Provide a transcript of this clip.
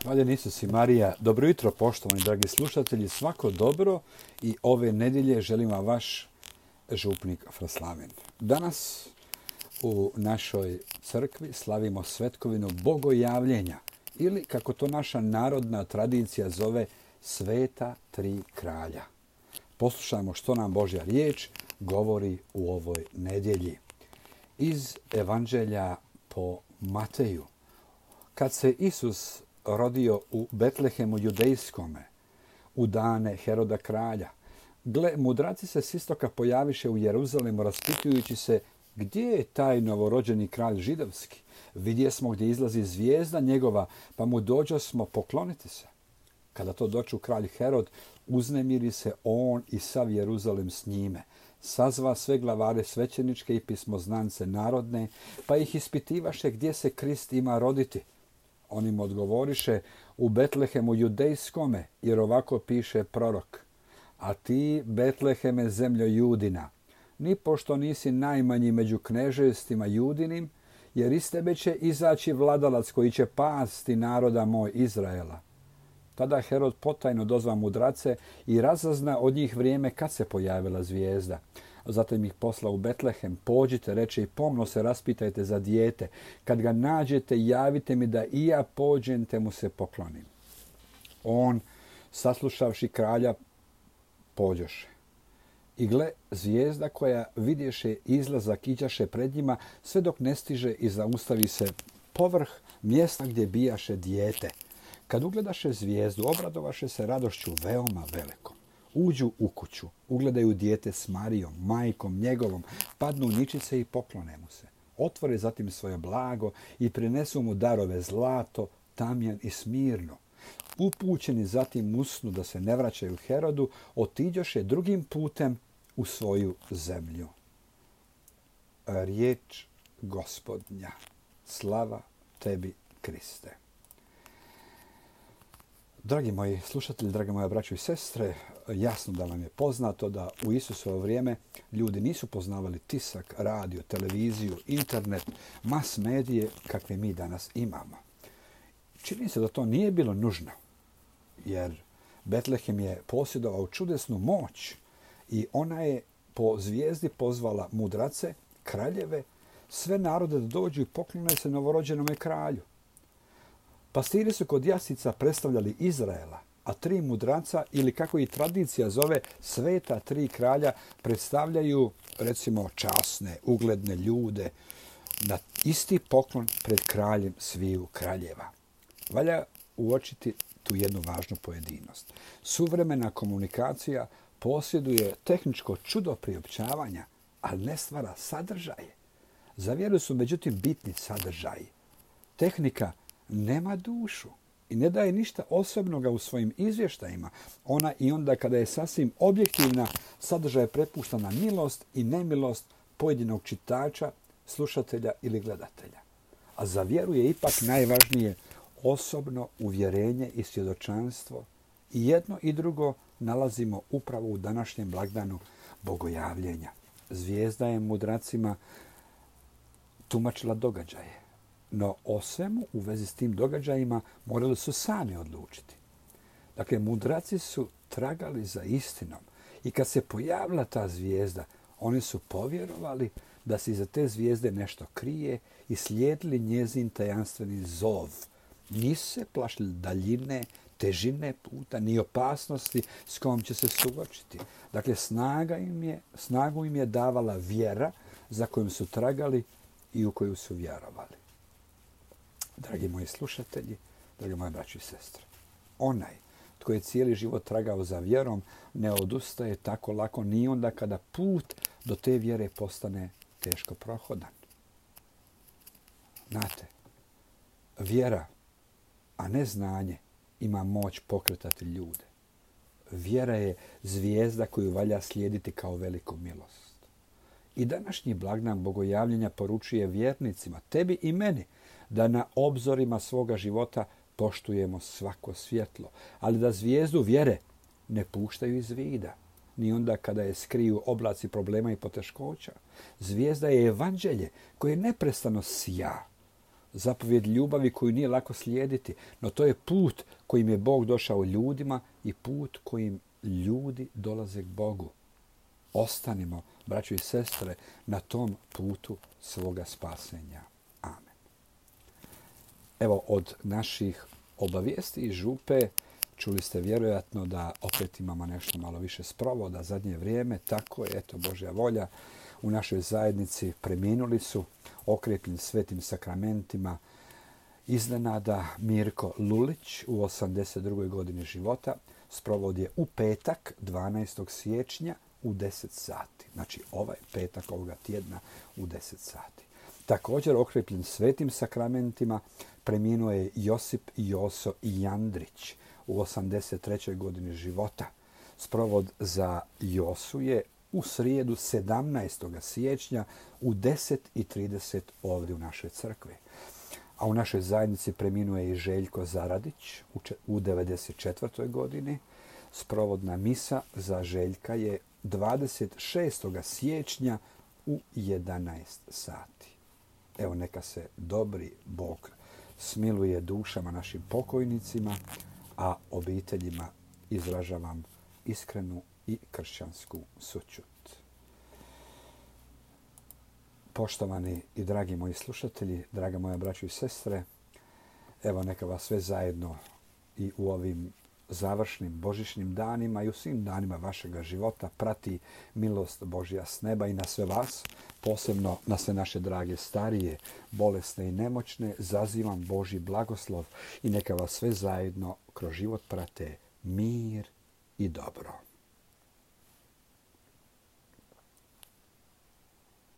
Hvaljen Isus i Marija. Dobro jutro, poštovani dragi slušatelji. Svako dobro i ove nedjelje želim vam vaš župnik Fraslaven. Danas u našoj crkvi slavimo svetkovinu Bogojavljenja ili, kako to naša narodna tradicija zove, Sveta tri kralja. Poslušajmo što nam Božja riječ govori u ovoj nedjelji. Iz Evanđelja po Mateju. Kad se Isus rodio u Betlehemu judejskome, u dane Heroda kralja, gle, mudraci se s istoka pojaviše u Jeruzalemu, raspitujući se gdje je taj novorođeni kralj židovski. Vidje smo gdje izlazi zvijezda njegova, pa mu dođosmo pokloniti se. Kada to doču kralj Herod, uznemiri se on i sav Jeruzalem s njime. Sazva sve glavare svećeničke i pismoznance narodne, pa ih ispitivaše gdje se Krist ima roditi. Oni mu odgovoriše, u Betlehemu judejskome, jer ovako piše prorok. A ti, Betleheme, zemljo Judina, nipošto nisi najmanji među knežestima Judinim, jer iz tebe će izaći vladalac koji će pasti naroda moj Izraela. Tada Herod potajno dozva mudrace i razazna od njih vrijeme kad se pojavila zvijezda. Zatim ih posla u Betlehem, pođite, reče, i pomno se raspitajte za dijete. Kad ga nađete, javite mi da i ja pođem te mu se poklonim. On, saslušavši kralja, pođoše. I gle, zvijezda koja vidješe izlazak iđaše pred njima, sve dok ne stiže i zaustavi se povrh mjesta gdje bijaše dijete. Kad ugledaše zvijezdu, obradovaše se radošću veoma velikom. Uđu u kuću, ugledaju dijete s Marijom, majkom njegovom, padnu ničice i poklone mu se. Otvore zatim svoje blago i prinesu mu darove zlato, tamjan i smirno. Upućeni zatim usnu da se ne vraćaju Herodu, otiđoše drugim putem u svoju zemlju. Riječ Gospodnja. Slava tebi, Kriste. Dragi moji slušatelji, drage moje braćo i sestre, jasno da vam je poznato da u Isusovo vrijeme ljudi nisu poznavali tisak, radio, televiziju, internet, mas medije kakve mi danas imamo. Čini se da to nije bilo nužno, jer Betlehem je posjedovao čudesnu moć i ona je po zvijezdi pozvala mudrace, kraljeve, sve narode da dođu i poklone se novorođenome kralju. Pastiri su kod jasica predstavljali Izraela, a tri mudraca, ili kako i tradicija zove, sveta tri kralja, predstavljaju, recimo, časne, ugledne ljude na isti poklon pred kraljem sviju kraljeva. Valja uočiti tu jednu važnu pojedinost. Suvremena komunikacija posjeduje tehničko čudo priopćavanja, ali ne stvara sadržaje. Za vjeru su međutim bitni sadržaji. Tehnika nema dušu i ne daje ništa osobnoga u svojim izvještajima. Ona i onda kada je sasvim objektivna, sadržaj prepušta na milost i nemilost pojedinog čitača, slušatelja ili gledatelja. A za vjeru je ipak najvažnije osobno uvjerenje i svjedočanstvo. I jedno i drugo nalazimo upravo u današnjem blagdanu Bogojavljenja. Zvijezda je mudracima tumačila događaje. No o svemu u vezi s tim događajima morali su sami odlučiti. Dakle, mudraci su tragali za istinom i kad se pojavila ta zvijezda, oni su povjerovali da se iza te zvijezde nešto krije i slijedili njezin tajanstveni zov. Nisu se plašili daljine, težine puta, ni opasnosti s kojom će se suočiti. Dakle, snagu im je davala vjera za kojom su tragali i u koju su vjerovali. Dragi moji slušatelji, dragi moje braće i sestre, onaj tko je cijeli život tragao za vjerom ne odustaje tako lako ni onda kada put do te vjere postane teško prohodan. Znate, vjera, a ne znanje, ima moć pokretati ljude. Vjera je zvijezda koju valja slijediti kao veliku milost. I današnji blagdan Bogojavljenja poručuje vjernicima, tebi i meni, da na obzorima svoga života poštujemo svako svjetlo, ali da zvijezdu vjere ne puštaju iz vida, ni onda kada je skriju oblaci problema i poteškoća. Zvijezda je evanđelje koje neprestano sija. zapovjed ljubavi koju nije lako slijediti, no to je put kojim je Bog došao ljudima i put kojim ljudi dolaze k Bogu. Ostanimo, braćo i sestre, na tom putu svoga spasenja. Amen. Evo, od naših obavijesti i župe čuli ste vjerojatno da opet imamo nešto malo više sprovoda zadnje vrijeme. Tako je, eto, Božja volja. U našoj zajednici preminuli su, okrepljeni svetim sakramentima, iznenada Mirko Lulić u 82. godini života. Sprovod je u petak, 12. siječnja u 10 sati. Znači ovaj petak ovoga tjedna u 10 sati. Također okrepljen svetim sakramentima preminuo je Josip Joso Jandrić u 83. godini života. Sprovod za Josu je u srijedu 17. siječnja u 10:30 ovdje u našoj crkvi. A u našoj zajednici preminuo je i Željko Zaradić u 94. godini. Sprovodna misa za Željka je 26. siječnja u 11 sati. Evo, neka se dobri Bog smiluje dušama našim pokojnicima, a obiteljima izražavam iskrenu i kršćansku sućut. Poštovani i dragi moji slušatelji, draga moja braćo i sestre, evo neka vas sve zajedno i u ovim završnim božićnim danima i u svim danima vašega života prati milost Božja s neba i na sve vas, posebno na sve naše drage starije, bolesne i nemoćne, zazivam Božji blagoslov i neka vas sve zajedno kroz život prate mir i dobro.